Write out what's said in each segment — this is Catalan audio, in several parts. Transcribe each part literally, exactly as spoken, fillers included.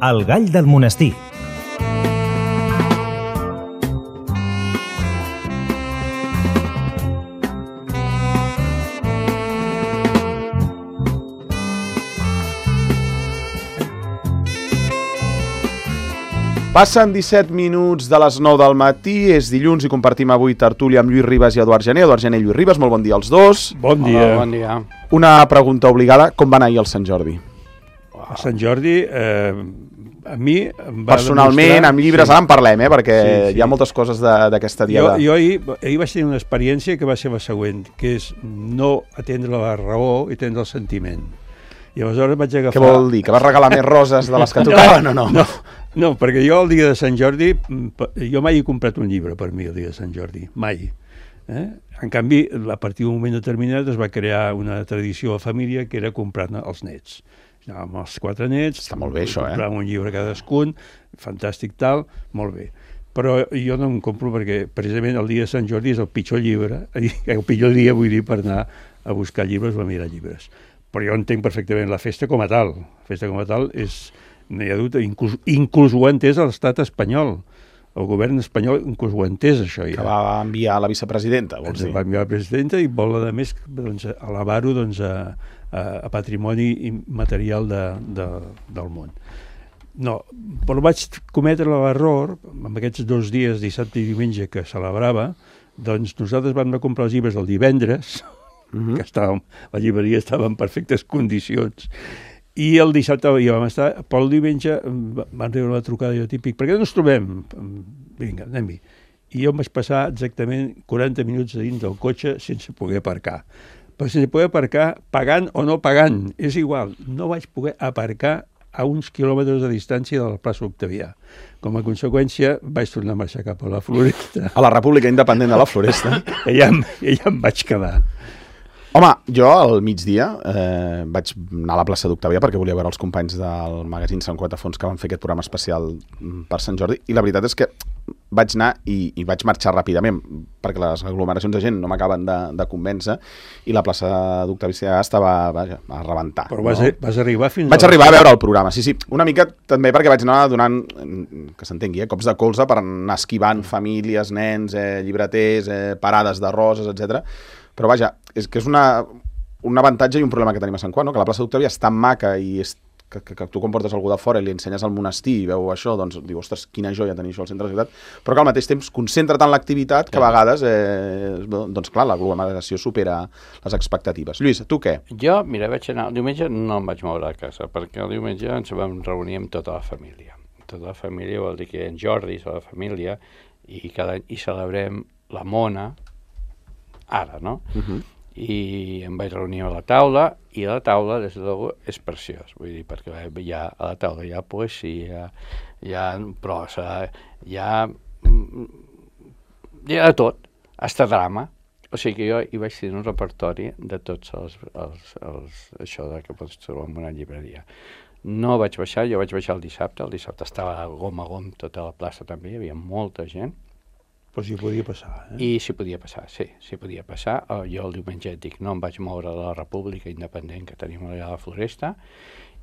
El gall del monestir. Passen disset minuts de les nou del matí, és dilluns i compartim avui tertúlia amb Lluís Ribas i Eduard Gené. Eduard Gené i Lluís Ribas, molt bon dia als dos. Bon dia. Hola, bon dia. Una pregunta obligada, com va anar ahir el Sant Jordi? Wow. A Sant Jordi, eh, a mi em va Personalment, demostrar... amb llibres, sí. Ara en parlem, eh, perquè sí, sí. hi ha moltes coses d'aquesta diada. Jo, jo ahir, ahir vaig tenir una experiència que va ser la següent, que és no atendre la raó i atendre el sentiment. I aleshores vaig agafar... Què vol dir? Que vas regalar més roses de les que tocaven o no? No, no, perquè jo el dia de Sant Jordi, jo mai he comprat un llibre per mi el dia de Sant Jordi, mai. Eh? En canvi, a partir d'un moment determinat es va crear una tradició a la família que era comprar als nets. Anàvem els quatre nets, està molt bé això, eh? compràvem un llibre cadascun, fantàstic tal, molt bé. Però jo no em compro perquè precisament el dia de Sant Jordi és el pitjor llibre, el pitjor dia vull dir per anar a buscar llibres o a mirar llibres. Però jo entenc perfectament la festa com a tal. La festa com a tal és, no hi ha dubte, inclús, inclús ho ha entès l'estat espanyol. El govern espanyol inclús ho ha entès, això ja. Que va enviar la vicepresidenta, vols dir? Va enviar la presidenta i vol, a més, doncs, elevar-ho doncs, a, a, a patrimoni material de, de, del món. No, però vaig cometre l'error, amb aquests dos dies, dissabte i diumenge, que celebrava, doncs nosaltres vam anar a comprar els llibres el divendres, Uh-huh. que estàvem, la llibreria estava en perfectes condicions, i el dissabte hi vam estar, però el diumenge van rebre una trucada jo típic, perquè no ens trobem? Vinga, anem-hi. I jo em vaig passar exactament quaranta minuts a dins del cotxe sense poder aparcar. Però sense poder aparcar, pagant o no pagant, és igual, no vaig poder aparcar a uns quilòmetres de distància de la plaça Octavià. Com a conseqüència, vaig tornar a marxar cap a la Floresta. A la República Independent de la Floresta. I allà, allà em vaig quedar. Home, jo al migdia eh, vaig anar a la plaça d'Octavià perquè volia veure els companys del magazín Sant Quatafons que van fer aquest programa especial per Sant Jordi, i la veritat és que vaig anar i, i vaig marxar ràpidament perquè les aglomeracions de gent no m'acaben de, de convèncer, i la plaça d'Octavià estava, vaja, a rebentar. Però vas, no? vas arribar fins Vaig a arribar a veure el programa, sí, sí. Una mica també perquè vaig anar donant, que s'entengui, eh, cops de colze per anar esquivant famílies, nens, eh, llibreters, eh, parades de roses, etcètera. Però vaja, és que és una, un avantatge i un problema que tenim a Sant Quat, no? Que la plaça d'Octavià és tan maca i és, que, que, que tu quan portes algú de fora i li ensenyes al monestir i veu això, doncs diu, ostres, quina joia tenir això al centre de la ciutat, però que al mateix temps concentra tant l'activitat que a vegades, eh, doncs clar, l'aglomeració supera les expectatives. Lluís, tu què? Jo, mira, vaig anar, el diumenge no em vaig moure a casa, perquè el diumenge ens vam reunir amb tota la família. Tota la família vol dir que en Jordi és la família i cada any hi celebrem la mona, ara, no? Uh-huh. I em vaig reunir a la taula, i a la taula, des de luego, és preciós, vull dir, perquè hi ha, a la taula hi ha poesia, hi ha prosa, hi ha, hi ha de tot, hasta drama. O sigui que jo hi vaig tenir un repertori de tots els, els, els això de que pots trobar en una llibreria. No vaig baixar, jo vaig baixar el dissabte, el dissabte estava gom a gom tota la plaça també, hi havia molta gent. Però s'hi podia passar, eh? I s'hi podia passar, sí, s'hi podia passar. Jo el diumenge et dic, no em vaig moure de la República Independent que tenim allà a la Floresta,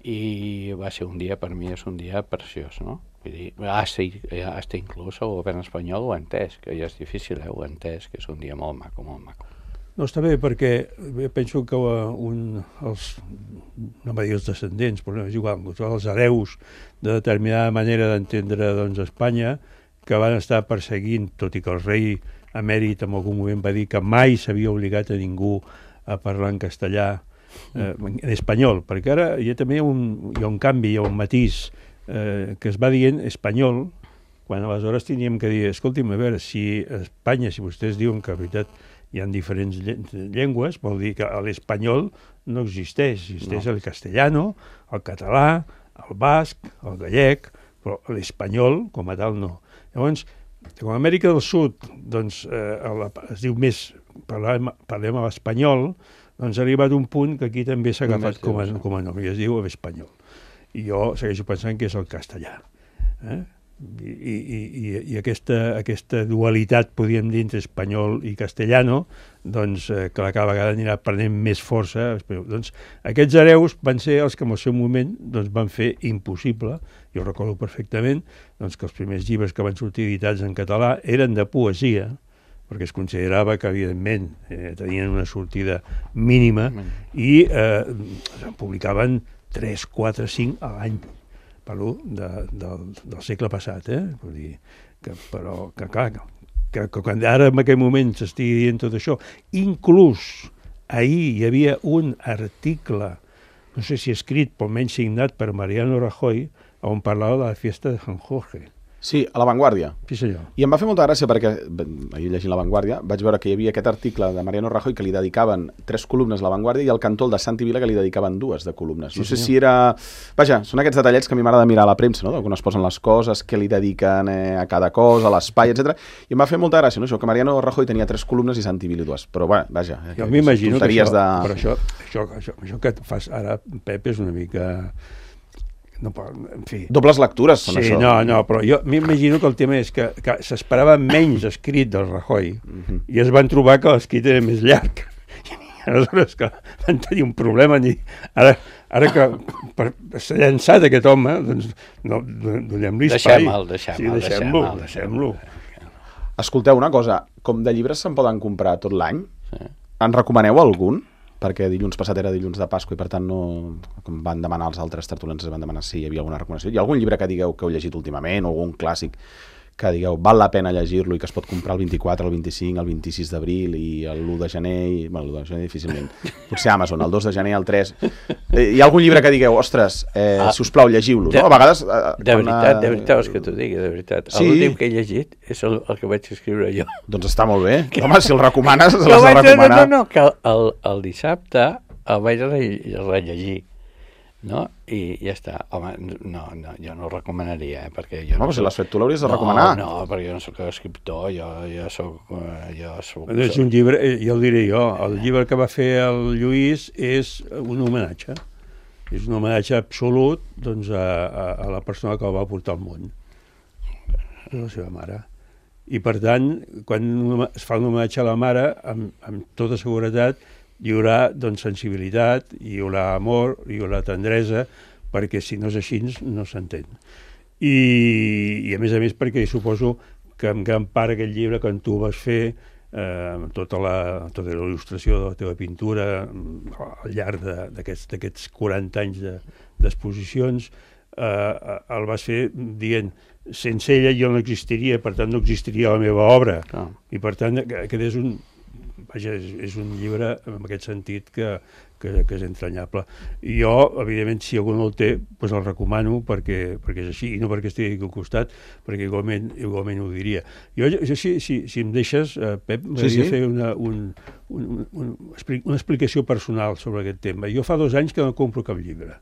i va ser un dia, per mi és un dia preciós, no? Vull dir, hasta, hasta inclús el govern espanyol ho ha entès, que ja és difícil, eh? Ho ha entès, que és un dia molt maco, molt maco. No, està bé, perquè penso que un, els, no m'ha dit els descendents, però no, és igual, els hereus de determinada manera d'entendre, doncs, Espanya, que van estar perseguint, tot i que el rei emèrit en algun moment va dir que mai s'havia obligat a ningú a parlar en castellà, eh, en espanyol, perquè ara hi ha també un, hi ha un canvi, hi ha un matís eh, que es va dient espanyol, quan aleshores teníem que dir, escolti'm, a veure, si a Espanya, si vostès diuen que, en veritat, hi ha diferents llengües, vol dir que l'espanyol no existeix, existeix no. El castellano, el català, el basc, el gallec, però l'espanyol, com a tal, no. Llavors, com a Amèrica del Sud, doncs, eh, es diu més, parlem, parlem a l'espanyol, doncs ha arribat un punt que aquí també s'ha agafat com a, com a nom, i es diu l'espanyol. I jo segueixo pensant que és el castellà. Eh? I, i, i, i aquesta, aquesta dualitat, podríem dir, entre espanyol i castellano, doncs, eh, que cada vegada anirà prenent més força. Doncs, aquests hereus van ser els que en el seu moment doncs, van fer impossible, jo recordo perfectament, doncs, que els primers llibres que van sortir editats en català eren de poesia, perquè es considerava que, evidentment, eh, tenien una sortida mínima i eh, publicaven tres, quatre, cinc a l'any. Parlo de, de, del segle passat, eh? Vull dir, que, però que clar, que, que quan ara en aquell moment s'estigui dient tot això, inclús ahir hi havia un article, no sé si escrit, però menys signat per Mariano Rajoy, on parlava de la fiesta de San Jorge. Sí, a La Vanguardia. Sí, senyor. I em va fer molta gràcia perquè, ahir llegint La Vanguardia, vaig veure que hi havia aquest article de Mariano Rajoy que li dedicaven tres columnes a La Vanguardia i al cantó de Santi Vila que li dedicaven dues de columnes. No sí, sé senyor. si era... Vaja, són aquests detallets que a mi m'agrada mirar a la premsa, no? D'on es posen les coses, què li dediquen eh, a cada cosa, a l'espai, etcètera. I em va fer molta gràcia, no? Això, que Mariano Rajoy tenia tres columnes i Santi Vila dues. Però, bueno, vaja... Eh, jo m'imagino que això, de... però això, això, això, això que fas ara, Pep, és una mica... No, en fi. Dobles lectures són sí, això. No, no, però jo m'imagino que el tema és que, que s'esperava menys escrit del Rajoy uh-huh. i es van trobar que l'escrit era més llarg. I aleshores que van tenir un problema. I ara, ara que per, s'ha llançat aquest home, doncs no, donem-li espai. Deixem-lo, deixem-lo. Sí, deixem-lo, deixem-lo. Escolteu una cosa, com de llibres se'n poden comprar tot l'any? Sí. En recomaneu algun? Perquè dilluns passat era dilluns de Pasqua i per tant no... Com van demanar els altres tertulians, van demanar si hi havia alguna recomanació. Hi ha algun llibre que digueu que heu llegit últimament o algun clàssic que digueu val la pena llegir-lo i que es pot comprar el vint-i-quatre, el vint-i-cinc, el vint-i-sis d'abril i l'u de gener, i... bueno, l'u de gener difícilment, potser Amazon, el dos de gener, el tres... Eh, hi ha algun llibre que digueu, ostres, eh, ah, si us plau, llegiu-lo, no? A vegades... Eh, de veritat, de veritat, vols que t'ho digui, de veritat. Sí. L'últim que he llegit és el, el que vaig escriure jo. Doncs està molt bé. Que... Home, si el recomanes, l'has de recomanar. No, no, no, que el, el dissabte el vaig rellegir. No? I ja està. Home, no, no, jo no ho recomanaria, eh? Perquè jo no, no però si l'has fet tu l'hauries de recomanar. No, no, perquè jo no soc escriptor, jo, jo soc... Jo soc és un llibre, ja ho diré jo, el llibre que va fer el Lluís és un homenatge. És un homenatge absolut doncs, a, a, a la persona que el va portar al món. És la seva mare. I per tant, quan es fa un homenatge a la mare, amb, amb tota seguretat, hi haurà doncs, sensibilitat, hi haurà amor, hi haurà tendresa, perquè si no és així no s'entén. I, I a més a més perquè suposo que en gran part aquest llibre, quan tu vas fer eh, tota, la, tota la il·lustració de la teva pintura al llarg d'aquests d'aquests quaranta anys d'exposicions, eh, el vas fer dient sense ella jo no existiria, per tant no existiria la meva obra. Ah. I per tant aquest és un... Vaja, és, és un llibre en aquest sentit que, que, que és entranyable. I jo, evidentment, si algú no el té, doncs el recomano perquè, perquè és així, i no perquè estigui aquí al costat, perquè igualment, igualment ho diria. Jo, jo si, si, si em deixes, eh, Pep, m'agradaria sí, sí. fer una, un, un, un, una explicació personal sobre aquest tema. Jo fa dos anys que no compro cap llibre.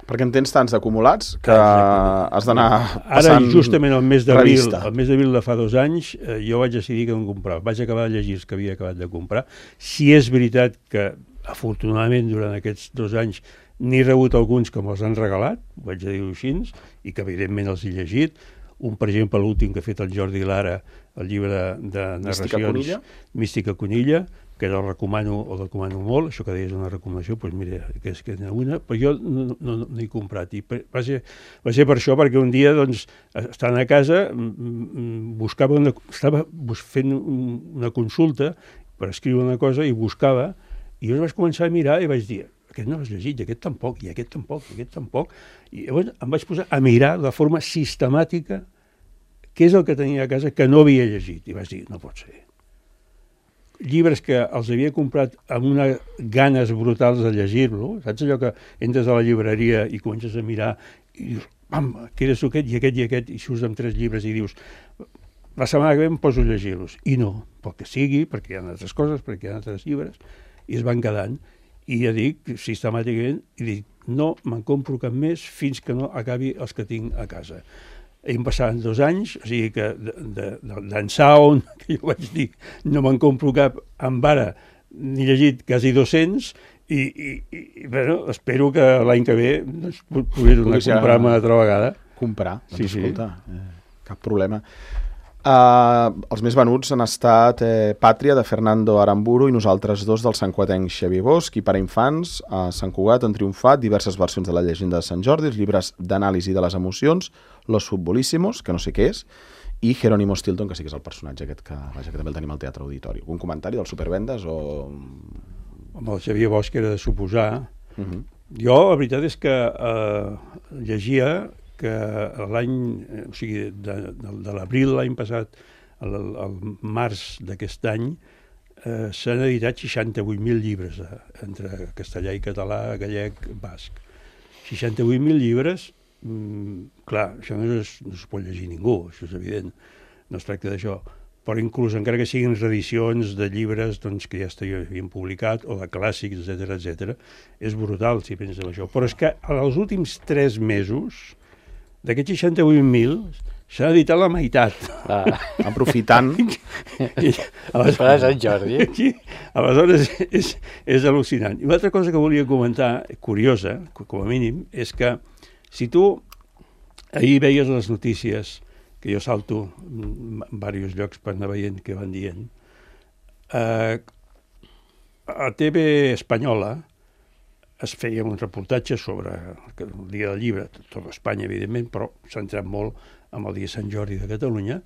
Perquè en tens tants acumulats que exactament. Has d'anar passant... Ara, justament el mes d'abril, el mes d'abril de fa dos anys, eh, jo vaig decidir que no comprava. Vaig acabar de llegir els que havia acabat de comprar. Si és veritat que, afortunadament, durant aquests dos anys n'he rebut alguns que me'ls han regalat, ho vaig dir-ho així, i que evidentment els he llegit. Un, per exemple, l'últim que ha fet el Jordi Lara, el llibre de narracions... Mística Conilla? Mística Conilla, que el recomano, el recomano molt, això que deies una recomanació, doncs mira, que és que n'hi ha una, però jo no, no, no he comprat. I per, va, ser, va ser per això, perquè un dia, doncs, estant a casa, buscava una, estava fent una consulta per escriure una cosa i buscava, i jo vaig començar a mirar i vaig dir, aquest no l'has llegit, i aquest tampoc, i aquest tampoc, i aquest tampoc. I llavors em vaig posar a mirar de forma sistemàtica què és el que tenia a casa que no havia llegit. I vaig dir, no pot ser. Llibres que els havia comprat amb unes ganes brutals de llegir-lo, saps allò que entres a la llibreria i comences a mirar i dius, pam, que eres aquest i aquest i aquest, i surts amb tres llibres i dius, la setmana que ve em poso a llegir-los. I no, pel que sigui, perquè hi ha altres coses, perquè hi ha altres llibres, i es van quedant. I ja dic, sistemàticament, i dic, no me'n compro cap més fins que no acabi els que tinc a casa. Hem passat dos anys, o sigui que d'ençà on, que jo vaig dir, no me'n compro cap, amb ara n'he llegit quasi dos-cents, i, i, i bueno, espero que l'any que ve doncs, pugui tornar a comprar-me una altra vegada. Comprar, doncs sí, escolta... Sí. cap problema. Uh, els més venuts han estat eh, Pàtria, de Fernando Aramburu, i Nosaltres dos, del santcugatenc Xavier Bosch, i per a infants, a Sant Cugat han triomfat diverses versions de la llegenda de Sant Jordi, els llibres d'anàlisi de les emocions, Los Futbolísimos, que no sé què és, i Jerónimo Stilton, que sí que és el personatge aquest que, vaja, que també el tenim al Teatre Auditori. Un comentari del Supervendes o...? Amb el Xavier Bosch era de suposar. Uh-huh. Jo, la veritat és que eh, llegia que l'any, o sigui, de, de, de l'abril l'any passat al, al març d'aquest any eh, s'han editat seixanta-vuit mil llibres eh, entre castellà i català, gallec, basc. seixanta-vuit mil llibres, mm, clar, això no es, no es pot llegir ningú, això és evident, no es tracta d'això, però inclús encara que siguin reedicions de llibres doncs, que ja s'havien publicat, o de clàssics, etcètera, etcètera, és brutal si penses en això. Però és que els últims tres mesos, d'aquests seixanta-vuit mil, s'ha editat la meitat. Ah. Aprofitant. I, per a Sant Jordi. Sí, aleshores és, és al·lucinant. I una altra cosa que volia comentar, curiosa, com a mínim, és que si tu ahir veies les notícies, que jo salto en diversos llocs per anar veient què van dient, eh, a T V Espanyola es feia un reportatge sobre el dia del llibre, tot Espanya, evidentment, però s'ha entrat molt amb el dia de Sant Jordi de Catalunya,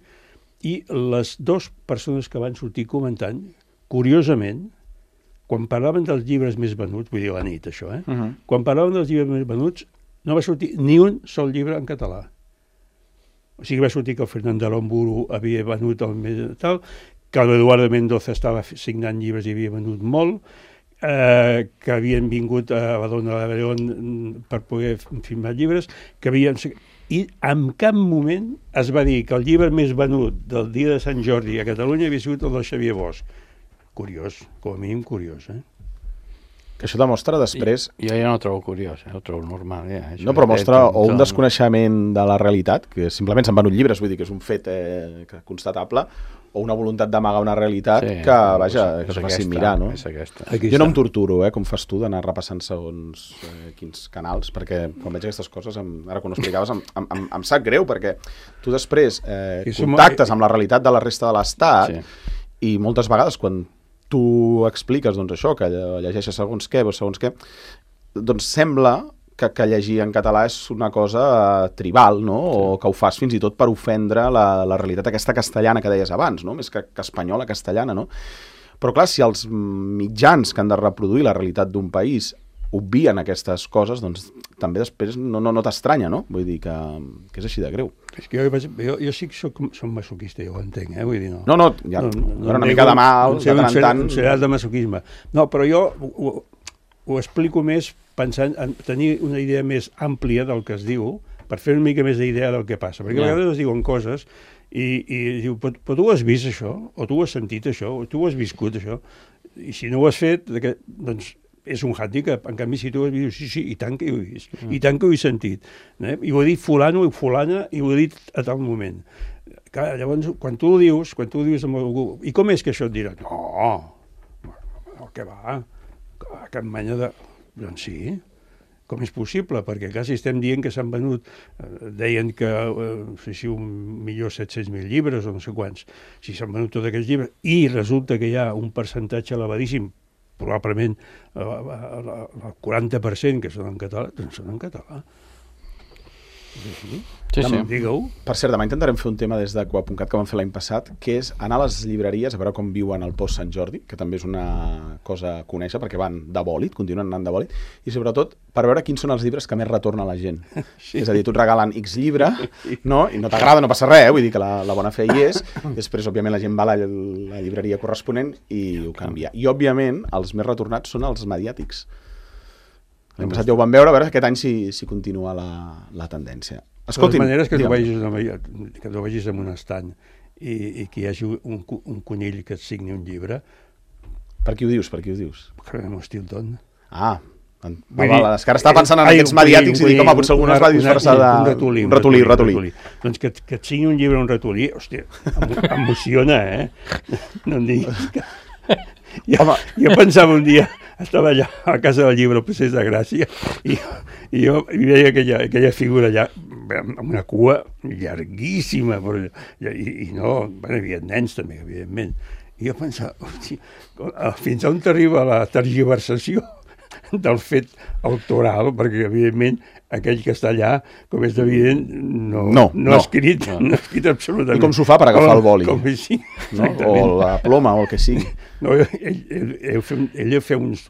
i les dues persones que van sortir comentant, curiosament, quan parlaven dels llibres més venuts, vull dir la nit, això, eh? Uh-huh. Quan parlaven dels llibres més venuts, no va sortir ni un sol llibre en català. O sigui, va sortir que el Fernando Aramburu havia venut el més tal, que l'Eduardo Mendoza estava signant llibres i havia venut molt, Eh, que havien vingut a la Dona de León per poder filmar llibres, que havien... I en cap moment es va dir que el llibre més venut del dia de Sant Jordi a Catalunya havia sigut el del Xavier Bosch. Curiós, com a mínim curiós, eh? Que això demostra després... Jo ja no ho trobo curiós, eh? Ho trobo normal. Ja. Això no, però mostra tot, o un tot... desconeixement de la realitat, que simplement s'han venut llibres, vull dir que és un fet eh, constatable, o una voluntat d'amagar una realitat sí, que, vaja, que es faci mirar, no? És aquesta. Jo no em torturo, eh, com fas tu, d'anar repassant segons eh, quins canals, perquè quan veig aquestes coses, em, ara quan ho explicaves, em, em, em sap greu, perquè tu després eh, contactes amb la realitat de la resta de l'Estat sí. I moltes vegades quan tu expliques doncs, això, que llegeixes segons què, segons què, doncs sembla que, que llegir en català és una cosa uh, tribal, no? Sí. O que ho fas fins i tot per ofendre la, la realitat aquesta castellana que deies abans, no? Més que, que espanyola, castellana, no? Però clar, si els mitjans que han de reproduir la realitat d'un país obvien aquestes coses, doncs també després no, no, no t'estranya, no? Vull dir que, que és així de greu. És que jo, jo, jo sí que soc, soc masoquista, jo ho entenc, eh? Vull dir, no. No, no, ja, no, no, no una mica de mal, de tant en tant. Un serial de masoquisme. No, però jo ho, ho explico més pensant en tenir una idea més àmplia del que es diu, per fer una mica més d'idea del que passa. Perquè yeah. a vegades es diuen coses i, i diu, però, però tu has vist això, o tu has sentit això, o tu has viscut això, i si no ho has fet, doncs és un hàndicap. En canvi, si tu has vist, sí, sí, i tant que ho he vist, mm. i tant que ho he sentit. Eh? I ho he dit fulano i fulana, i ho he dit a tal moment. Clar, llavors, quan tu ho dius, quan tu ho dius amb algú, i com és que això et dirà? No, no, què va? Cap mena de... Doncs sí, com és possible? Perquè quasi estem dient que s'han venut, eh, deien que, eh, no sé si un milió set-cents mil llibres o no sé quants, si s'han venut tots aquests llibres, i resulta que hi ha un percentatge elevadíssim, probablement eh, el quaranta per cent que són en català, doncs són en català. Sí, sí, sí. Digue-ho. Per cert, demà intentarem fer un tema des de Coa punt cat que vam fer l'any passat, que és anar a les llibreries a veure com viuen el post Sant Jordi, que també és una cosa a conèixer, perquè van de bòlit, continuen anant de bòlit, i sobretot per veure quins són els llibres que més retorna la gent. Sí. És a dir, tu et regalen X llibre, no? I no t'agrada, no passa res, eh? Vull dir que la, la bona fe hi és, després, òbviament, la gent va a la, la llibreria corresponent i ho canvia. I, òbviament, els més retornats són els mediàtics. L'any passat ja ho vam veure, a veure aquest any si, si continua la, la tendència. Escolti'm, de totes maneres que tu, vegis, que tu vegis en un estant i, i que hi hagi un, un conill que et signi un llibre... Per qui ho dius? Per qui ho dius? Jerónimo Stilton. Ah, va, va, és que ara estava pensant en aquests mediàtics i dic, home, potser algú es va disfressar de... Un ratolí, un ratolí, un ratolí. ratolí. Doncs que, que et signi un llibre un ratolí, hòstia, emociona, eh? No em diguis que... Jo, jo pensava un dia estava allà a la Casa del Llibre, al Passeig de Gràcia, i, i jo i veia aquella, aquella figura allà, amb una cua llarguíssima, però, i, i no, bueno, hi havia nens també, evidentment. I jo pensava, hosti, fins on t'arriba la tergiversació del fet autoral, perquè, evidentment, aquell que està allà, com és evident, no, no, no, no ha escrit, no. no ha escrit absolutament. I com s'ho fa per agafar com, el boli? Com així, no? O la ploma, o el que sigui. No, ell, ell, ell, ell fa uns...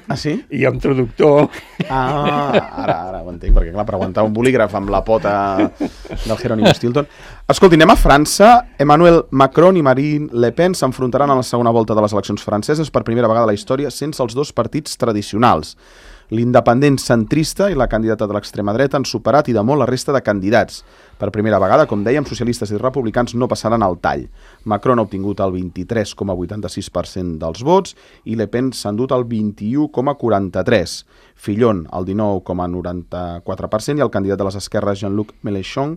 Ah, sí? I hi ha un traductor. Ah, ara, ara ho entenc, perquè clar, per aguantar un bolígraf amb la pota del Jerónimo Stilton. Escolti, anem a França. Emmanuel Macron i Marine Le Pen s'enfrontaran a la segona volta de les eleccions franceses per primera vegada a la història sense els dos partits tradicionals. L'independent centrista i la candidata de l'extrema dreta han superat i de molt la resta de candidats. Per primera vegada, com dèiem, socialistes i republicans no passaran al tall. Macron ha obtingut el vint-i-tres coma vuitanta-sis per cent dels vots i Le Pen s'ha endut el vint-i-u coma quaranta-tres. Fillon, el dinou coma noranta-quatre per cent i el candidat de les esquerres Jean-Luc Mélenchon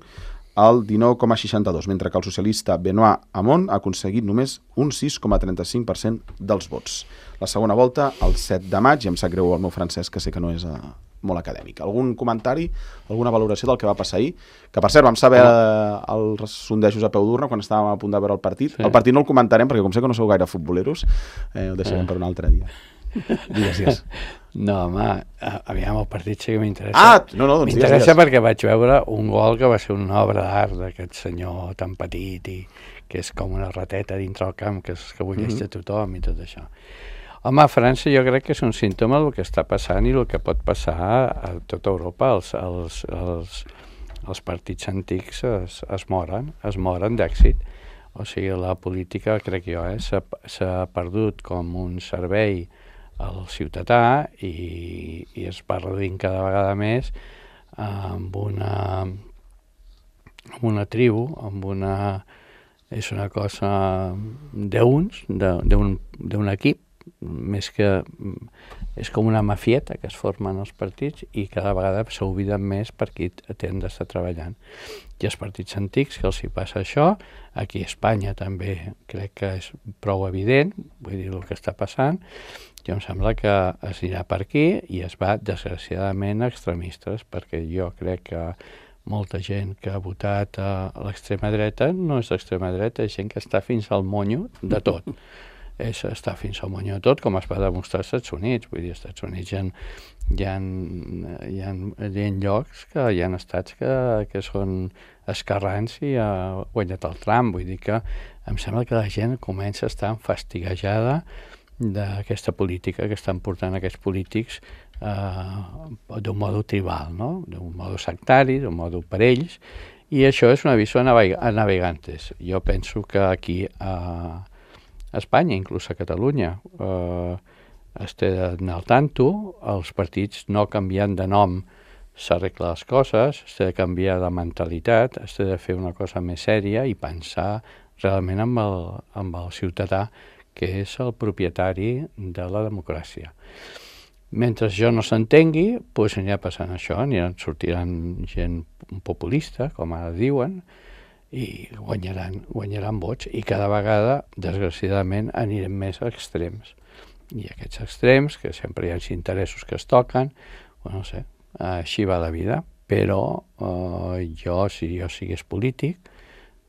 el dinou coma seixanta-dos, mentre que el socialista Benoît Hamon ha aconseguit només un sis coma trenta-cinc per cent dels vots. La segona volta, el set de maig, i em sap greu el meu francès, que sé que no és uh, molt acadèmic. Algun comentari, alguna valoració del que va passar ahir? Que, per cert, vam saber uh, els sondejos a peu d'urna quan estàvem a punt de veure el partit. Sí. El partit no el comentarem, perquè com sé que no sou gaire futboleros, eh, ho deixarem eh. per un altre dia. Digues, digues. No, home, aviam, el partit sí que m'interessa. Ah, no, no, doncs m'interessa digues, digues. perquè vaig veure un gol que va ser una obra d'art d'aquest senyor tan petit i que és com una rateta dintre el camp que, és, que bulleix mm-hmm. de tothom i tot això. Home, a França jo crec que és un símptoma del que està passant i el que pot passar a tota Europa. Els, els, els, els partits antics es, es moren, es moren d'èxit. O sigui, la política, crec jo, eh, s'ha, s'ha perdut com un servei al ciutadà i, i es va reduint cada vegada més amb una, amb una tribu, amb una... és una cosa d'uns, d'un equip, més que... és com una mafieta que es formen els partits i cada vegada s'obliden més per qui tenen d'estar treballant. I els partits antics, que els hi passa això, aquí a Espanya també crec que és prou evident, vull dir, el que està passant, jo em sembla que es anirà per aquí i es va, desgraciadament, a extremistes, perquè jo crec que molta gent que ha votat a l'extrema dreta no és l'extrema dreta, és gent que està fins al monyo de tot. És estar fins al monyo de tot, com es va demostrar als Estats Units. Vull dir, als Estats Units hi ha, hi ha, hi ha, hi ha llocs que hi ha estats que, que són esquerrans i ha guanyat el Trump. Vull dir que em sembla que la gent comença a estar fastigejada d'aquesta política que estan portant aquests polítics eh, d'un modo tribal, no? D'un modo sectari, d'un modo per ells, i això és un aviso a navegantes. Jo penso que aquí a Espanya, inclús a Catalunya, eh, es té d'anar al tanto, els partits no canviant de nom s'arreglen les coses, es té de canviar de mentalitat, es té de fer una cosa més sèria i pensar realment amb el, amb el ciutadà que és el propietari de la democràcia. Mentre jo no s'entengui, doncs anirà passant això, aniran, sortiran gent populista, com ara diuen, i guanyaran, guanyaran vots, i cada vegada, desgraciadament, anirem més a extrems. I aquests extrems, que sempre hi ha interessos que es toquen, bueno, no sé, així va la vida, però eh, jo, si jo sigués polític,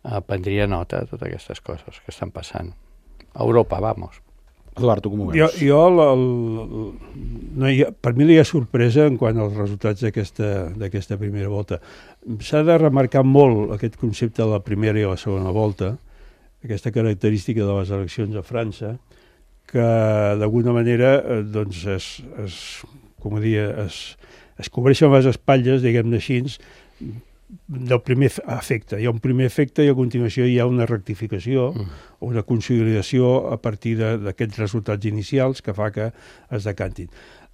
eh, prendria nota de totes aquestes coses que estan passant. A Europa, vamos. Eduard, tu com ho veus? Jo, jo el, el, no hi ha, per mi no hi ha sorpresa en quant als resultats d'aquesta primera volta. S'ha de remarcar molt aquest concepte de la primera i la segona volta, aquesta característica de les eleccions a França, que d'alguna manera doncs es, es, com ho dia, es, es cobreixen les espatlles, diguem-ne així, del primer efecte. Hi ha un primer efecte i a continuació hi ha una rectificació mm. o una consolidació a partir d'aquests resultats inicials que fa que es decantin.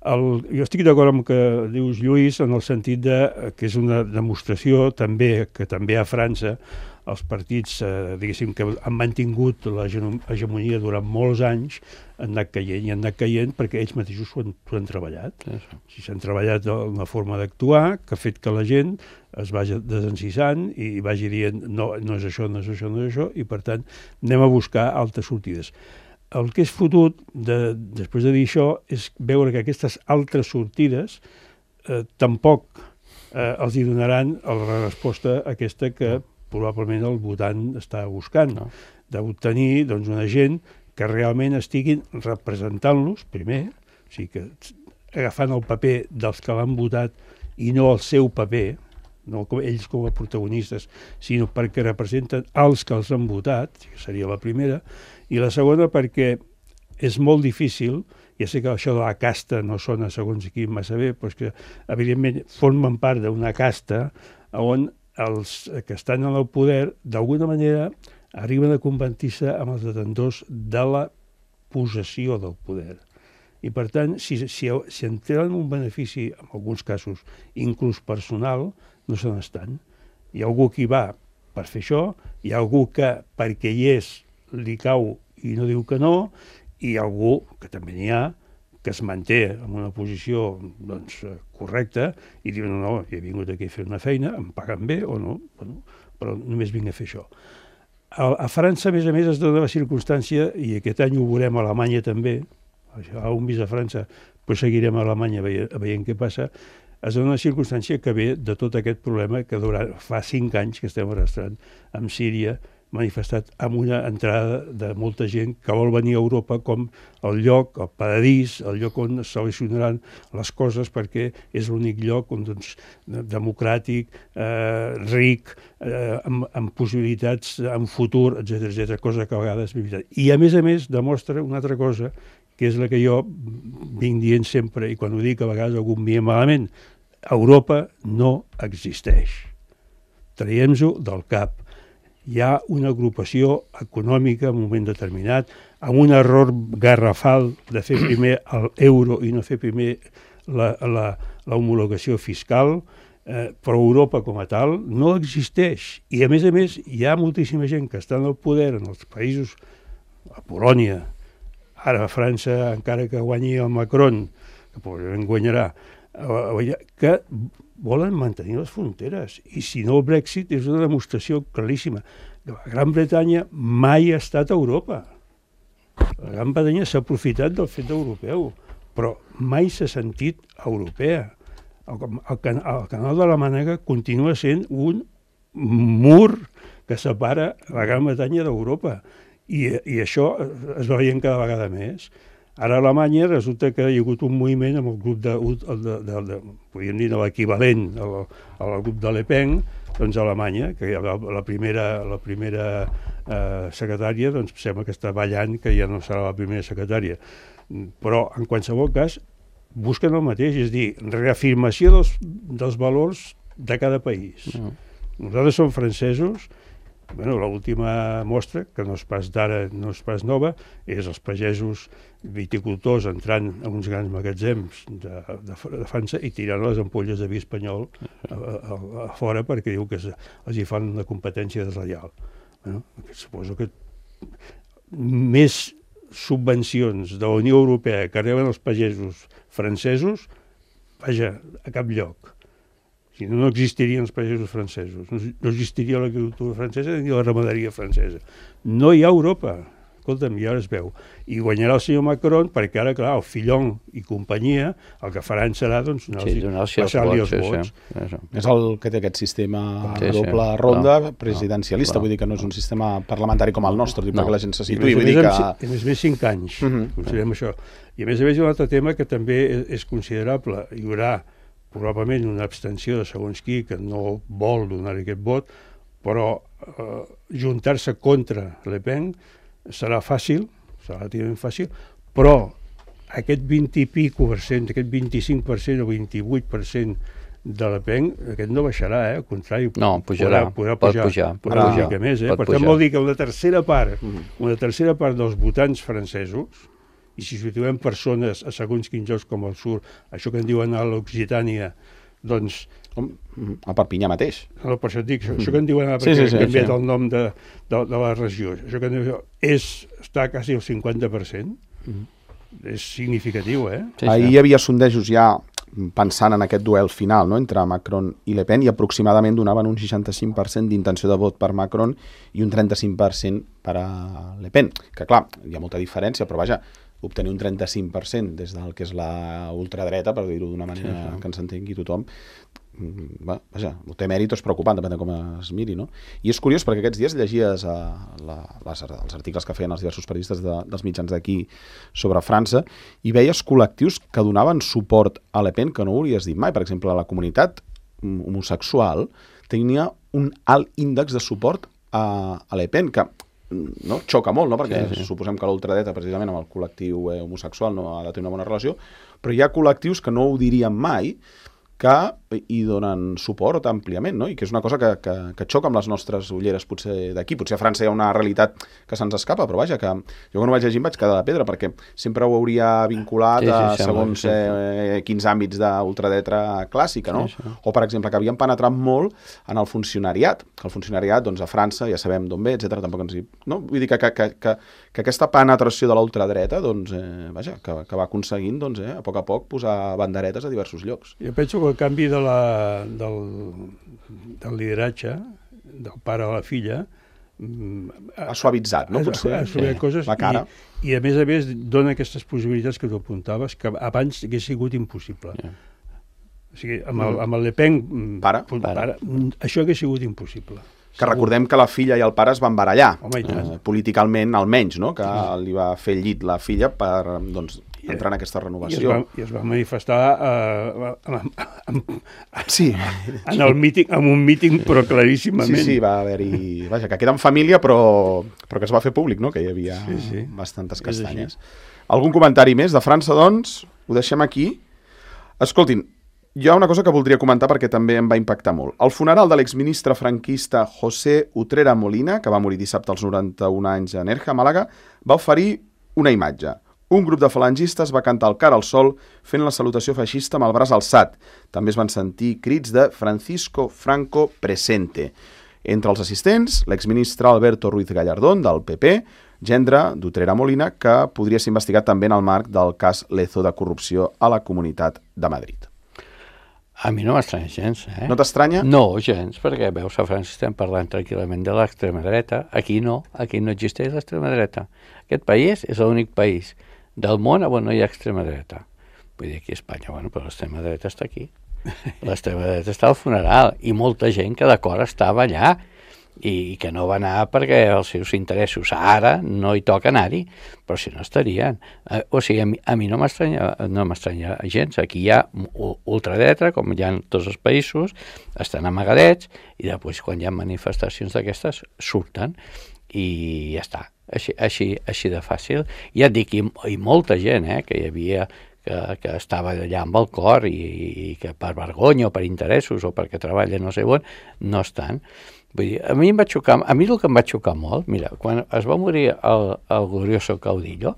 El, jo estic d'acord amb el que dius, Lluís, en el sentit de, que és una demostració també que també a França els partits, eh, diguéssim, que han mantingut la hegemonia durant molts anys, han anat caient i han anat caient perquè ells mateixos s'ho han, han treballat. Sí, sí. S'han treballat una forma d'actuar que ha fet que la gent es vagi desencisant i vagi dient no, no és això, no és això, no és això, i per tant anem a buscar altres sortides. el que és fotut, de, després de dir això, és veure que aquestes altres sortides eh, tampoc eh, els hi donaran la resposta aquesta que probablement el votant està buscant, no? D'obtenir doncs, una gent que realment estiguin representant-los, primer, o sigui que agafant el paper dels que l'han votat i no el seu paper, no com ells com a protagonistes, sinó perquè representen els que els han votat, que seria la primera, i la segona perquè és molt difícil, ja sé que això de la casta no sona segons qui massa bé, però és que evidentment formen part d'una casta on els que estan en el poder d'alguna manera arriben a convertir-se amb els detentors de la possessió del poder. I per tant, si, si, si en tenen un benefici, en alguns casos, inclús personal, no se n'estan. Hi ha algú que hi va per fer això, hi ha algú que perquè hi és li cau i no diu que no, i hi ha algú, que també n'hi ha, que es manté en una posició doncs, correcta i diu, no, no, he vingut aquí a fer una feina, em paguen bé o no, bueno, però només vinc a fer això. A, a França, a més a més, es dona la circumstància, i aquest any ho veurem a Alemanya també, a un vist a França, però seguirem a Alemanya veient, veient què passa, es dona una circumstància que ve de tot aquest problema que durant, fa cinc anys que estem arrastrant amb Síria, manifestat amb una entrada de molta gent que vol venir a Europa com el lloc, el paradís, el lloc on es solucionaran les coses perquè és l'únic lloc on, doncs, democràtic, eh, ric, eh, amb, amb possibilitats, amb futur, etcètera, etcètera, cosa que a vegades és veritat. I a més a més demostra una altra cosa, que és la que jo vinc dient sempre, i quan ho dic a vegades algú em mira malament, Europa no existeix. Traiem-ho del cap. Hi ha una agrupació econòmica en un moment determinat, amb un error garrafal de fer primer l'euro i no fer primer la, la, la homologació fiscal, eh, però Europa com a tal no existeix. I a més a més hi ha moltíssima gent que està en el poder en els països, a Polònia, ara a França, encara que guanyi el Macron, que probablement guanyarà, que volen mantenir les fronteres. I si no, el Brexit és una demostració claríssima. La Gran Bretanya mai ha estat a Europa. La Gran Bretanya s'ha aprofitat del fet europeu, però mai s'ha sentit europea. El, el, can, el canal de la Mànega continua sent un mur que separa la Gran Bretanya d'Europa. I, I això es va veient cada vegada més. Ara a Alemanya resulta que hi ha hagut un moviment amb el grup de, de, de, de, de podríem dir, l'equivalent al, al grup de Le Pen, doncs a Alemanya, que la, la primera, la primera eh, secretària doncs sembla que està ballant que ja no serà la primera secretària. Però, en qualsevol cas, busquen el mateix, és dir, reafirmació dels, dels valors de cada país. Mm. Nosaltres som francesos. Bueno, l'última mostra, que no és pas d'ara, no és pas nova, és els pagesos viticultors entrant en uns grans magatzems de, de, de França i tirant les ampolles de vi espanyol a, a, a fora perquè diu que es, els hi fan una competència deslleial. Bueno, suposo que més subvencions de la Unió Europea que reben els pagesos francesos, vaja, a cap lloc. Si no, no existirien els pagesos francesos, no existiria l'agricultura francesa ni la ramaderia francesa. No hi ha Europa. Escolta'm, i ara es veu. I guanyarà el senyor Macron perquè ara, clar, el Fillon i companyia, el que faran serà, doncs, sí, passar-li els vots. Sí, sí. És el que té aquest sistema sí, doble sí, ronda clar, presidencialista, clar, vull dir que no és un sistema parlamentari com el nostre, no, perquè la gent se situï. Vull dir que... A més a més, cinc anys, uh -huh. considerem això. I a més a més hi ha un altre tema que també és considerable. Hi haurà probablement una abstenció de segons qui que no vol donar aquest vot, però eh, juntar-se contra Le Pen serà fàcil, serà relativament fàcil, però aquest vint i pico per cent, aquest vint-i-cinc per cent o vint-i-vuit per cent de Le Pen, aquest no baixarà, eh? Al contrari, no, pujarà, podrà, podrà pujar, pot pujar, una pujar, mica més, eh? Per pujar. tant vol dir que una tercera part, una tercera part dels votants francesos, i si situem persones a segons quins llocs com el sud, això que en diuen a l'Occitània, doncs... A Perpinyà mateix. No, per això et dic, això, això que en diuen a Perpinyà, sí, sí, sí, que han canviat sí. el nom de, de, de la regió, això que en diuen, és, està quasi al cinquanta per cent, mm. és significatiu, eh? Sí, sí. Ahir hi havia sondejos ja pensant en aquest duel final, no?, entre Macron i Le Pen, i aproximadament donaven un seixanta-cinc per cent d'intenció de vot per Macron i un trenta-cinc per cent per a Le Pen. Que clar, hi ha molta diferència, però vaja, obtenir un trenta-cinc per cent des del que és la ultradreta, per dir-ho d'una manera sí, sí. que ens entengui tothom, va, vaja, té mèrit o és preocupant, depèn de com es miri, no? I és curiós perquè aquests dies llegies a la, les, els articles que feien els diversos periodistes de, dels mitjans d'aquí sobre França i veies col·lectius que donaven suport a Le Pen que no hauries dit mai. Per exemple, la comunitat homosexual tenia un alt índex de suport a, a Le Pen, que no? xoca molt, no? Perquè sí, sí. suposem que l'ultradreta precisament amb el col·lectiu eh, homosexual no ha de tenir una bona relació, però hi ha col·lectius que no ho dirien mai, que hi donen suport àmpliament, no? I que és una cosa que, que, que xoca amb les nostres ulleres potser d'aquí. Potser a França hi ha una realitat que se'ns escapa, però vaja, que jo quan ho vaig llegir em vaig quedar de pedra, perquè sempre ho hauria vinculat sí, sí, a segons sí, sí. Eh, quins àmbits d'ultradreta clàssica, no? Sí, sí. O, per exemple, que havien penetrat molt en el funcionariat, que el funcionariat, doncs, a França, ja sabem d'on ve, etcètera. Tampoc ens hi... No? Vull dir que, que, que, que, que aquesta penetració de la ultradreta, doncs, eh, vaja, que, que va aconseguint, doncs, eh, a poc a poc posar banderetes a diversos llocs. Jo penso que el canvi de la Del, del lideratge del pare a la filla ha suavitzat, no? Potser ha suavitzat sí. coses la cara. I, i a més a més dona aquestes possibilitats que tu apuntaves que abans hagués sigut impossible. Yeah. O sigui, amb el, amb el Le Pen pare. Pare, això hagués sigut impossible. Que segur. Recordem que la filla i el pare es van barallar, Home, eh, políticament almenys, no? Que sí. li va fer el llit la filla per, doncs, entrar en aquesta renovació. I es va, i es va manifestar uh, amb, amb, sí. en, el míting, en un míting, però claríssimament. Sí, sí, va haver-hi... Vaja, que queda en família, però, però que es va fer públic, no? Que hi havia sí, sí. bastantes castanyes. Algun comentari més de França, doncs? Ho deixem aquí. Escoltin, hi ha una cosa que voldria comentar perquè també em va impactar molt. El funeral de l'exministre franquista José Utrera Molina, que va morir dissabte als noranta-un anys a Nerja, Màlaga, va oferir una imatge. Un grup de falangistes va cantar el cara al sol fent la salutació feixista amb el braç alçat. També es van sentir crits de Francisco Franco presente. Entre els assistents, l'exministre Alberto Ruiz Gallardón, del P P, gendre d'Utrera Molina, que podria ser investigat també en el marc del cas Lezo de corrupció a la Comunitat de Madrid. A mi no m'estranya gens, eh? No t'estranya? No, gens, perquè veus, a França estem parlant tranquil·lament de l'extrema dreta. Aquí no, aquí no existeix l'extrema dreta. Aquest país és l'únic país del món on no hi ha extrema dreta. Vull dir, aquí a Espanya, bueno, però l'extrema dreta està aquí. L'extrema dreta està al funeral i molta gent que d'acord estava allà i que no va anar perquè els seus interessos ara no hi toca anar-hi, però si no estarien. O sigui, a mi, a mi no m'estranya no m'estranya gens. Aquí hi ha ultradreta, com hi ha en tots els països, estan amagadets i després quan hi ha manifestacions d'aquestes surten i ja està. Així, així, així de fàcil. Ja et dic, i, i molta gent eh, que hi havia que, que estava allà amb el cor i, i que per vergonya o per interessos o perquè treballa no sé on, no estan. Vull dir, a mi em va xocar, a mi el que em va xocar molt, mira, quan es va morir el, el glorioso Caudillo,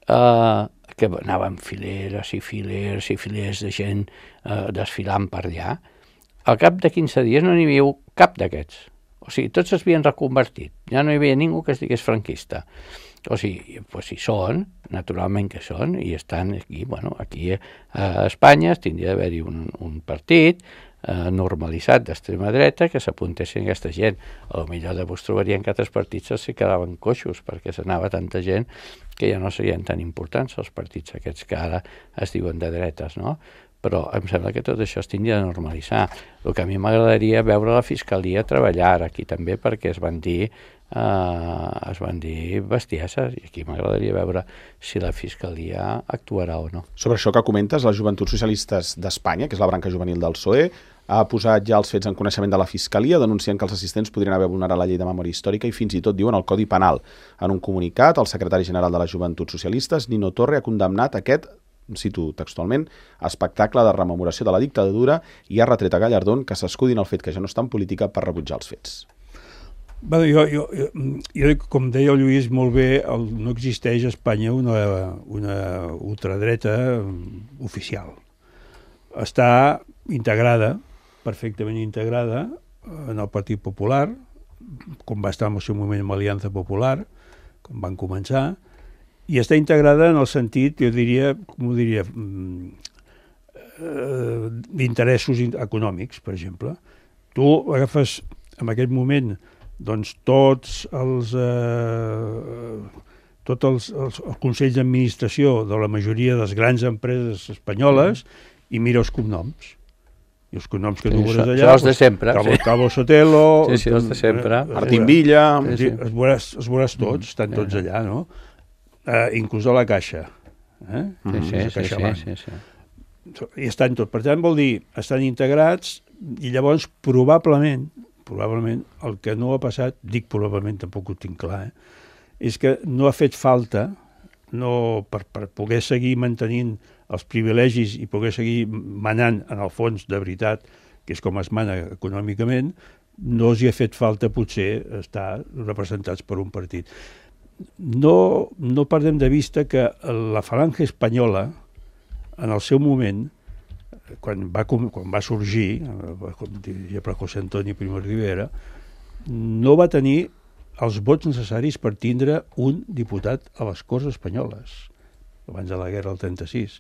eh, que anaven fileres i fileres i filers de gent eh, desfilant per allà, al cap de quinze dies no n'hi havia cap d'aquests. O sigui, tots es havien reconvertit. Ja no hi havia ningú que es digués franquista. O sigui, pues si són, naturalment que són, i estan aquí, bueno, aquí a Espanya tindria d'haver-hi un, un partit eh, normalitzat d'extrema dreta que s'apuntessin aquesta gent. A lo millor de vos trobarien que altres partits els quedaven coixos perquè s'anava tanta gent que ja no serien tan importants els partits aquests que ara es diuen de dretes, no? Però em sembla que tot això es tindria de normalitzar. El que a mi m'agradaria veure la Fiscalia treballar aquí també perquè es van dir eh, es van dir bestieses i aquí m'agradaria veure si la Fiscalia actuarà o no. Sobre això que comentes, les Joventuts Socialistes d'Espanya, que és la branca juvenil del P S O E, ha posat ja els fets en coneixement de la Fiscalia, denunciant que els assistents podrien haver vulnerat la llei de memòria històrica i fins i tot diuen el Codi Penal. En un comunicat, el secretari general de les Joventuts Socialistes, Nino Torre, ha condemnat aquest, cito textualment, espectacle de rememoració de la dictadura i ha retret a Gallardón que s'escudin el fet que ja no està en política per rebutjar els fets. Bé, jo, jo, jo, jo, com deia el Lluís molt bé, el, no existeix a Espanya una, una ultradreta oficial. Està integrada, perfectament integrada, en el Partit Popular, com va estar en el seu moment amb l'Aliança Popular, com van començar, i està integrada en el sentit, jo diria, com ho diria, eh, d'interessos econòmics, per exemple. Tu agafes en aquest moment doncs, tots els, eh, tots els, els, els consells d'administració de la majoria de les grans empreses espanyoles i mira els cognoms. I els cognoms que tu veuràs allà... Són els de sempre. Cabo, sí. Cabo Sotelo... Sí, sí, els de sempre. Martín Villa... Sí, sí. Els, veuràs, els veuràs tots, estan tots allà, no? Uh, inclús a la Caixa. Eh? Sí, sí, sí, sí, sí, sí. I estan tots. Per tant, vol dir, estan integrats i llavors probablement, probablement el que no ha passat, dic probablement, tampoc ho tinc clar, eh? És que no ha fet falta no, per, per poder seguir mantenint els privilegis i poder seguir manant en el fons de veritat, que és com es mana econòmicament, no els hi ha fet falta potser estar representats per un partit. No, no perdem de vista que la falange espanyola, en el seu moment, quan va, quan va sorgir, com diria per José Antonio Primo de Rivera, no va tenir els vots necessaris per tindre un diputat a les Corts Espanyoles, abans de la guerra del trenta-sis.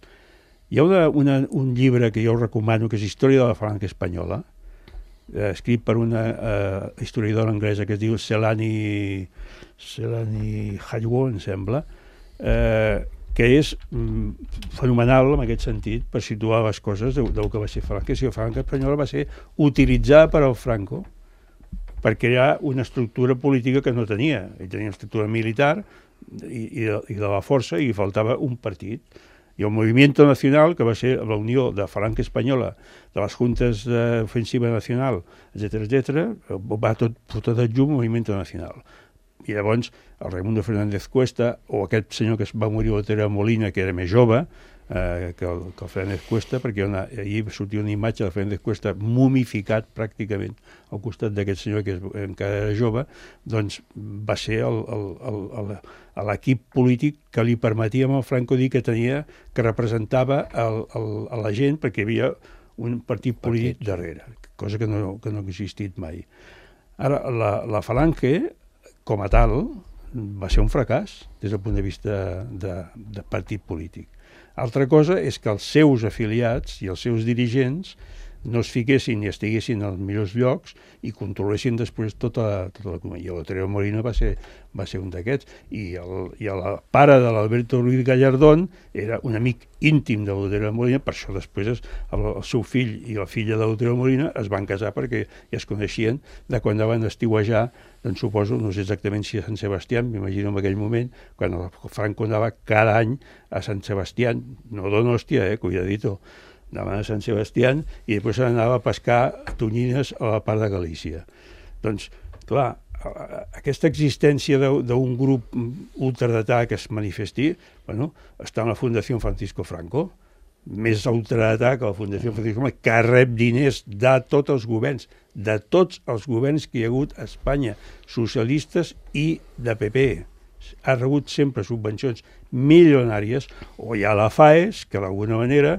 Hi ha una, una, un llibre que jo recomano, que és Història de la Falange Espanyola, eh, escrit per una eh, historiadora anglesa que es diu Selani, Selani Haywo, em sembla, eh, que és mm, fenomenal en aquest sentit per situar les coses del, del que va ser Falange. Si la Falange Espanyola va ser utilitzada per al Franco per crear una estructura política que no tenia. Ell tenia una estructura militar i, i, de, i de la força i faltava un partit. I el Movimiento Nacional, que va ser la unió de Falange Espanyola, de les Juntes d'Ofensiva Nacional, etcètera, etcètera, va tot fotre de llum al Movimiento Nacional. I llavors el Raimundo Fernández Cuesta, o aquest senyor que es va morir a Otero Molina, que era més jove eh, que, el, que el Fernández Cuesta, perquè una, ahir sortia una imatge del Fernández Cuesta mumificat pràcticament al costat d'aquest senyor que és, encara era jove, doncs va ser el, el, el, el, l'equip polític que li permetia al Franco dir que tenia, que representava el, el, a la gent, perquè hi havia un partit polític darrere, cosa que no, que no ha existit mai. Ara, la, la Falange, com a tal, va ser un fracàs des del punt de vista de, de partit polític. Altra cosa és que els seus afiliats i els seus dirigents no es fiquessin i estiguessin als millors llocs i controlessin després tota, tota l'economia. I l'Otero Molina va ser, va ser un d'aquests. I el, i el pare de l'Alberto Ruiz Gallardón era un amic íntim de l'Otero Molina, per això després es, el, el seu fill i la filla de l'Otero Molina es van casar perquè ja es coneixien de quan van estiuejar, doncs suposo, no sé exactament si a Sant Sebastià, m'imagino en aquell moment, quan el Franco anava cada any a Sant Sebastià, no Donòstia, eh, cuidadito, anava a Sant Sebastià i després anava a pescar tonyines a la part de Galícia. Doncs, clar, aquesta existència d'un grup ultradretà que es manifesti, bueno, està en la Fundació Francisco Franco, més ultradretà que la Fundació Francisco Franco, que rep diners de tots els governs, de tots els governs que hi ha hagut a Espanya, socialistes i de P P. Ha rebut sempre subvencions milionàries, o hi ha la FAES, que d'alguna manera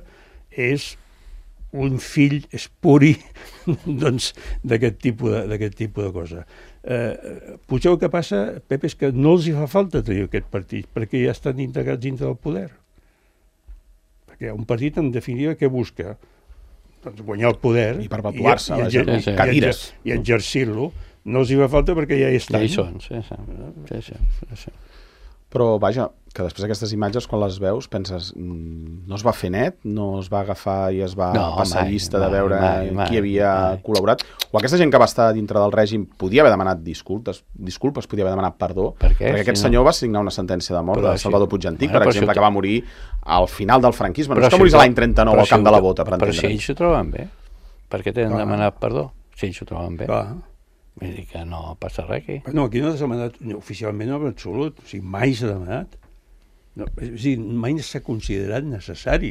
és un fill espuri doncs, d'aquest tipus, de, tipus de cosa. Eh, potser el que passa, Pep, és que no els hi fa falta tenir aquest partit, perquè ja estan integrats dintre del poder. Perquè un partit, en definitiva, què busca? Doncs guanyar el poder i perpetuar-se, i, i, i, i, cadires. I exercir-lo. No els hi fa falta perquè ja hi estan. Ja hi són, sí, sí. sí, sí, sí, sí. Però, vaja, que després d'aquestes imatges, quan les veus, penses, no es va fer net, no es va agafar i es va no, passar mai, llista mai, de veure mai, mai, qui havia mai. col·laborat, o aquesta gent que va estar dintre del règim podia haver demanat disculpes, disculpes podia haver demanat perdó, per què? perquè aquest si senyor no... va signar una sentència de mort però de Salvador si... Puigdentic, bueno, per exemple, si... que va morir al final del franquisme, no és que si morís a l'any trenta-nou al camp si de la Bota, per però entendre. Però si ells s'ho troben bé, per què tenen ah. demanat perdó? Si ells s'ho troben bé. Ah. Vull dir que no passa res aquí. No, aquí no s'ha demanat, no, oficialment no, en absolut, o sigui, mai s'ha demanat. No, és a dir, mai s'ha considerat necessari.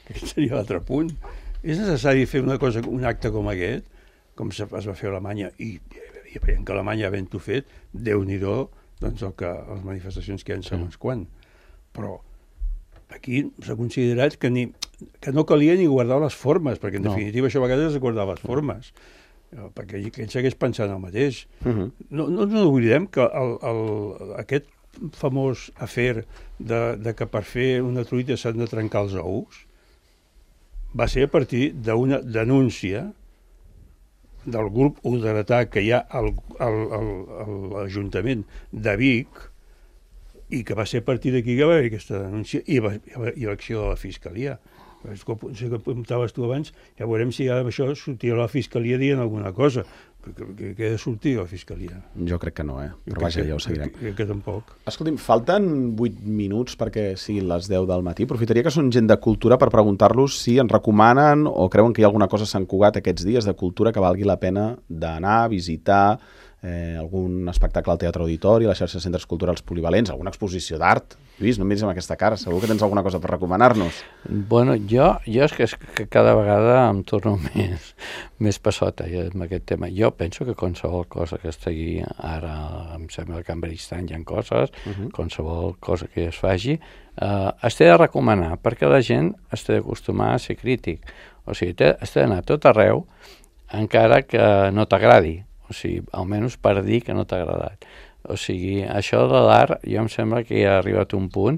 Aquest seria l'altre punt. És necessari fer una cosa, un acte com aquest, com es va fer a Alemanya, i, i veient que Alemanya havent-ho fet, Déu-n'hi-do, doncs el que, les manifestacions que hi ha en segons quan. Però aquí s'ha considerat que, ni, que no calia ni guardar les formes, perquè en no. definitiva això a vegades és guardar les formes, perquè ell segueix pensant el mateix. Uh-huh. No, no ens oblidem que el, el, aquest famós afer de, de que per fer una truita s'han de trencar els ous, va ser a partir d'una denúncia del grup ultratà que hi ha al, al, al, a l'Ajuntament de Vic, i que va ser a partir d'aquí que va haver aquesta denúncia i, va, i l'acció de la Fiscalia. Com que apuntaves tu abans, ja veurem si ara això sortirà a la Fiscalia dient alguna cosa, perquè què ha de sortir a la Fiscalia? Jo crec que no, eh? Però vaja, ja ho seguirem. Crec que tampoc. Escolti'm, falten vuit minuts perquè siguin les deu del matí. Aprofitaria que són gent de cultura per preguntar-los si ens recomanen o creuen que hi ha alguna cosa a Sant Cugat aquests dies de cultura que valgui la pena d'anar, visitar, eh, algun espectacle al Teatre Auditori, a la xarxa de centres culturals polivalents, alguna exposició d'art. Lluís, no em miris amb aquesta cara, segur que tens alguna cosa per recomanar-nos. Bueno, jo, jo és que, és que cada vegada em torno més, més passota amb aquest tema. Jo penso que qualsevol cosa que estigui ara, em sembla que en Beristan hi ha coses, uh-huh. qualsevol cosa que es faci, eh, es té de recomanar, perquè la gent es té d'acostumar a ser crític. O sigui, té, es té d'anar a tot arreu, encara que no t'agradi. O sigui, almenys per dir que no t'ha agradat. O sigui, això de l'art, jo em sembla que ja ha arribat un punt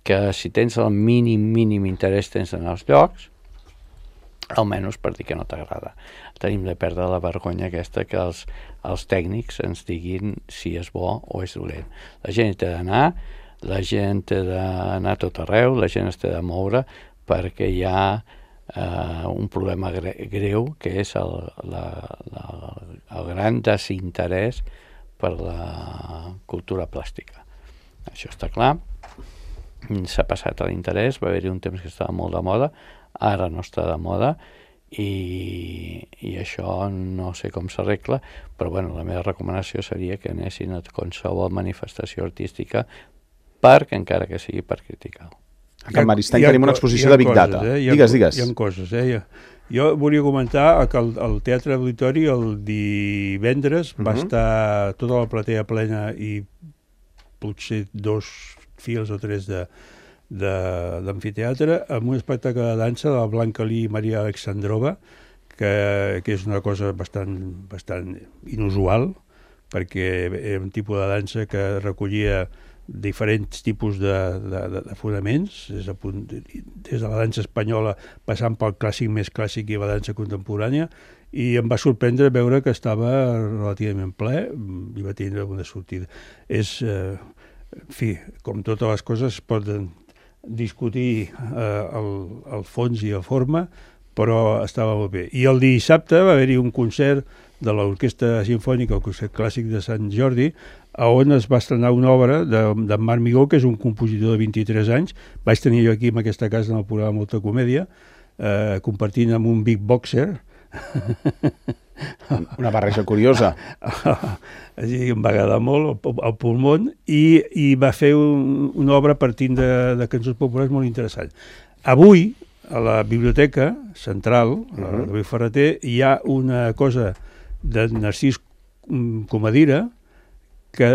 que si tens el mínim, mínim interès tens en els llocs, almenys per dir que no t'agrada. Tenim de perdre la vergonya aquesta que els, els tècnics ens diguin si és bo o és dolent. La gent té d'anar, la gent té d'anar a tot arreu, la gent es té de moure, perquè hi ha Uh, un problema gre greu que és el, la, la, el gran desinterès per la cultura plàstica. Això està clar. S'ha passat a l'interès, va haver-hi un temps que estava molt de moda, ara no està de moda i, i això no sé com s'arregla, però bueno, la meva recomanació seria que anessin a qualsevol manifestació artística perquè encara que sigui per criticar-ho. A Can Maristany tenim una exposició de Big coses, Data. Eh? Digues, digues. Hi ha coses, eh? Jo volia comentar que el, el Teatre Auditori el divendres uh-huh. va estar tota la platea plena i potser dos fils o tres d'amfiteatre amb un espectacle de dansa de la Blanca Lee i Maria Alexandrova, que, que és una cosa bastant, bastant inusual, perquè era un tipus de dansa que recollia diferents tipus de, de, de, de fonaments, des de, des de la dansa espanyola passant pel clàssic més clàssic i la dansa contemporània, i em va sorprendre veure que estava relativament ple i va tindre una sortida. És, eh, en fi, com totes les coses poden discutir eh, el, el fons i la forma, però estava molt bé. I el dissabte va haver-hi un concert de l'Orquestra Simfònica, el concert clàssic de Sant Jordi, on es va estrenar una obra d'en de Marc Migó, que és un compositor de vint-i-tres anys. Vaig tenir jo aquí en aquesta casa en el programa Molta Comèdia, eh, compartint amb un big boxer. Una barreja curiosa. Així em va agradar molt, el, el pulmón, i, i va fer un, una obra partint de, de cançons populars molt interessant. Avui, a la Biblioteca Central, uh-huh. a la David Ferreter, hi ha una cosa de Narcís Comadira, que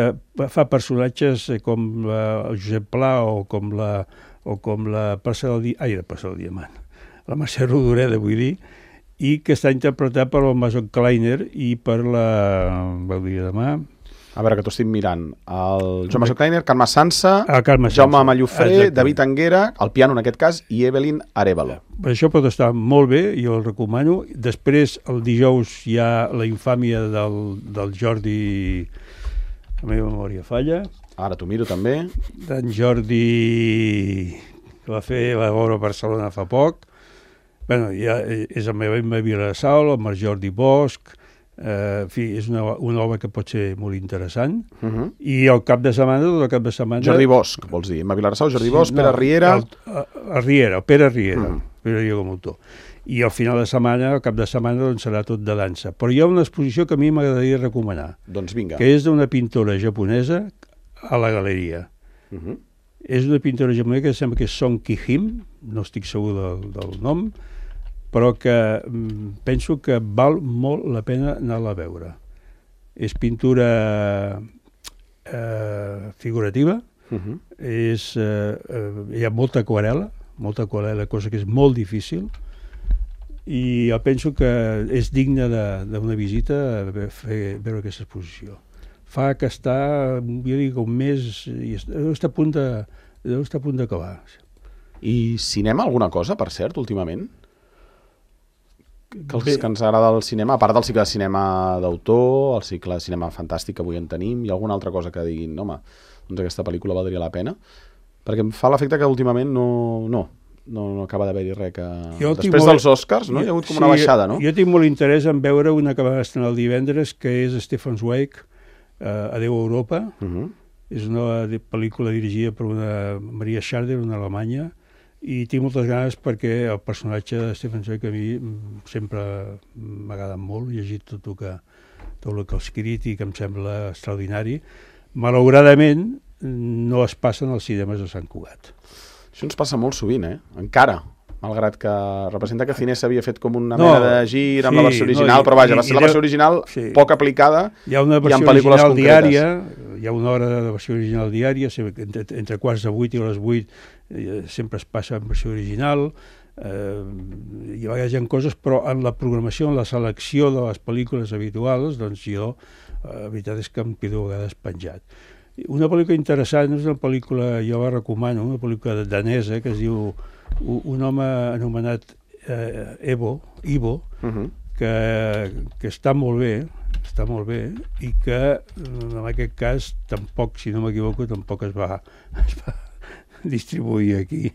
fa personatges com la, el Josep Pla o com la, o com la Parcel del, ai, la Parcel del Diamant, la Mercè Rodoreda, vull dir, i que està interpretat per el Mason Kleiner i per la... Vau dir demà... A veure, que t'ho estic mirant. El Joan Mason Kleiner, Carme Sansa, Carme Jaume Mallofré, David Anguera, el piano en aquest cas, i Evelyn Arevalo. Això pot estar molt bé, jo el recomano. Després, el dijous, hi ha la infàmia del, del Jordi... La meva memòria falla. Ara t'ho miro també. D'en Jordi, que va fer la obra a Barcelona fa poc. Bueno, ja és el meu Emma Vilassal, el Marc Jordi Bosch, eh, en fi, és una, una obra que pot ser molt interessant. Uh-huh. I el cap de setmana, tot el cap de setmana... Jordi Bosch, vols dir? Emma Vilassal, Jordi sí, Bosch, no, Pere Riera... El, el Riera, el Pere Riera, uh-huh. Pere Riera com a autor. I al final de setmana, al cap de setmana, doncs serà tot de dansa. Però hi ha una exposició que a mi m'agradaria recomanar. Doncs vinga. Que és d'una pintora japonesa a la galeria. Uh-huh. És una pintora japonesa que sembla que és Song Ki-him, no estic segur del, del nom, però que mm, penso que val molt la pena anar-la a veure. És pintura eh, figurativa, uh-huh. és, eh, eh, hi ha molta aquarela, molta aquarela, cosa que és molt difícil, i jo penso que és digne d'una visita a fer, veure aquesta exposició. Fa que està, jo dic, un mes, i deu estar a punt de, deu estar a punt d'acabar. I cinema alguna cosa, per cert, últimament? que, els, que ens agrada el cinema, a part del cicle de cinema d'autor, el cicle de cinema fantàstic que avui en tenim, hi ha alguna altra cosa que diguin, home, doncs aquesta pel·lícula valdria la pena? Perquè em fa l'efecte que últimament no, no, no, no acaba d'haver-hi res que... Jo Després molt... dels Oscars, no? Hi ha hagut com sí, una baixada, no? Jo tinc molt interès en veure una que va estrenar el divendres, que és Stefan Zweig, uh, Adeu Europa. Uh -huh. És una pel·lícula dirigida per una Maria Schrader, una alemanya, i tinc moltes ganes perquè el personatge de Stefan Zweig a mi sempre m'ha agradat molt, he llegit tot el que, tot el que ha escrit i que em sembla extraordinari. Malauradament no es passen als cinemes de Sant Cugat. Això ens passa molt sovint, eh? Encara, malgrat que representa que Cines s'havia fet com una no, mena de gir amb sí, la versió original, no, i, però vaja, va ser la versió original sí. poc aplicada. Hi ha una versió original diària, hi ha una hora de versió original diària, entre, entre quarts de vuit i les vuit eh, sempre es passa en versió original, eh, hi ha vegades hi ha coses, però en la programació, en la selecció de les pel·lícules habituals, doncs jo, eh, la veritat és que em quedo a vegades penjat. Una pel·lícula interessant, és una pel·lícula, jo la recomano, una pel·lícula danesa que es diu Un home anomenat eh, Evo, Ivo, uh -huh. que, que està molt bé, està molt bé, i que en aquest cas tampoc, si no m'equivoco, tampoc es va, es va distribuir aquí,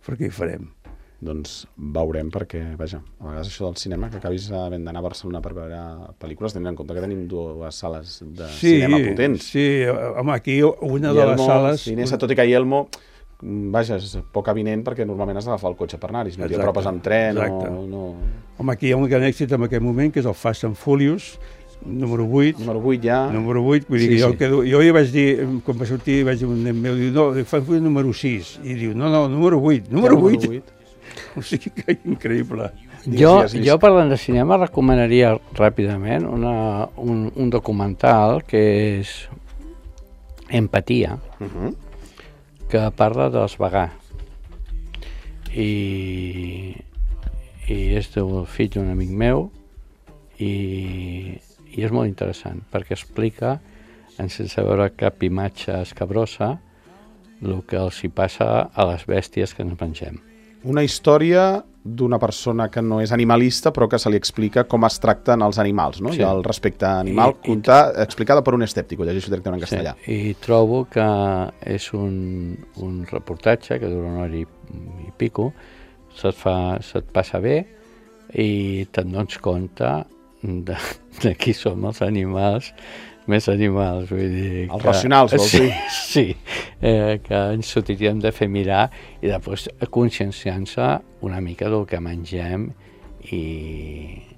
perquè hi farem. Doncs veurem, perquè, vaja, a vegades això del cinema, que acabis havent d'anar a Barcelona per veure pel·lícules, tenint en compte que tenim dues sales de sí, cinema potents. Sí, home, aquí una de les sales... Cinesa, tot i que Yelmo, vaja, és poc avinent perquè normalment has d'agafar el cotxe per anar-hi, si no t'hi apropes amb tren o... No... Home, aquí hi ha un gran èxit en aquest moment, que és el Fast and Furious, número vuit. Número vuit ja. Número vuit, vull dir sí, que jo, sí. quedo, jo hi vaig dir, quan va sortir, vaig dir un nen meu, diu, no, Fast and Furious número sis, i diu, no, no, número vuit, número ja, vuit. vuit. O sigui que increïble. Jo, jo parlant de cinema, recomanaria ràpidament una, un, un documental que és Empatia, uh-huh. que parla dels vegans. I, i és del fill d'un amic meu i, i és molt interessant perquè explica, sense veure cap imatge escabrosa, el que els hi passa a les bèsties que ens mengem. Una història d'una persona que no és animalista però que se li explica com es tracten els animals, no? Sí. I el respecte animal, I, contar, i, explicada per un escèptic, ho llegeixo directament en castellà. Sí, i trobo que és un, un reportatge que dura una hora i, i pico, se't, fa, se't passa bé i te'n dones compte de, de qui som els animals, més animals, vull dir... Els que, racionals, vols dir? Sí, sí eh, que ens ho hauríem de fer mirar i després conscienciant-se una mica del que mengem i,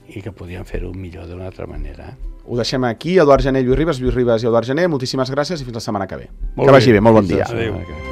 i que podíem fer-ho millor d'una altra manera. Ho deixem aquí, Eduard Gené, Lluís Ribas, Lluís Ribas i Eduard Gené, moltíssimes gràcies i fins la setmana que ve. Molt que bé. vagi bé, molt bon dia. Adéu.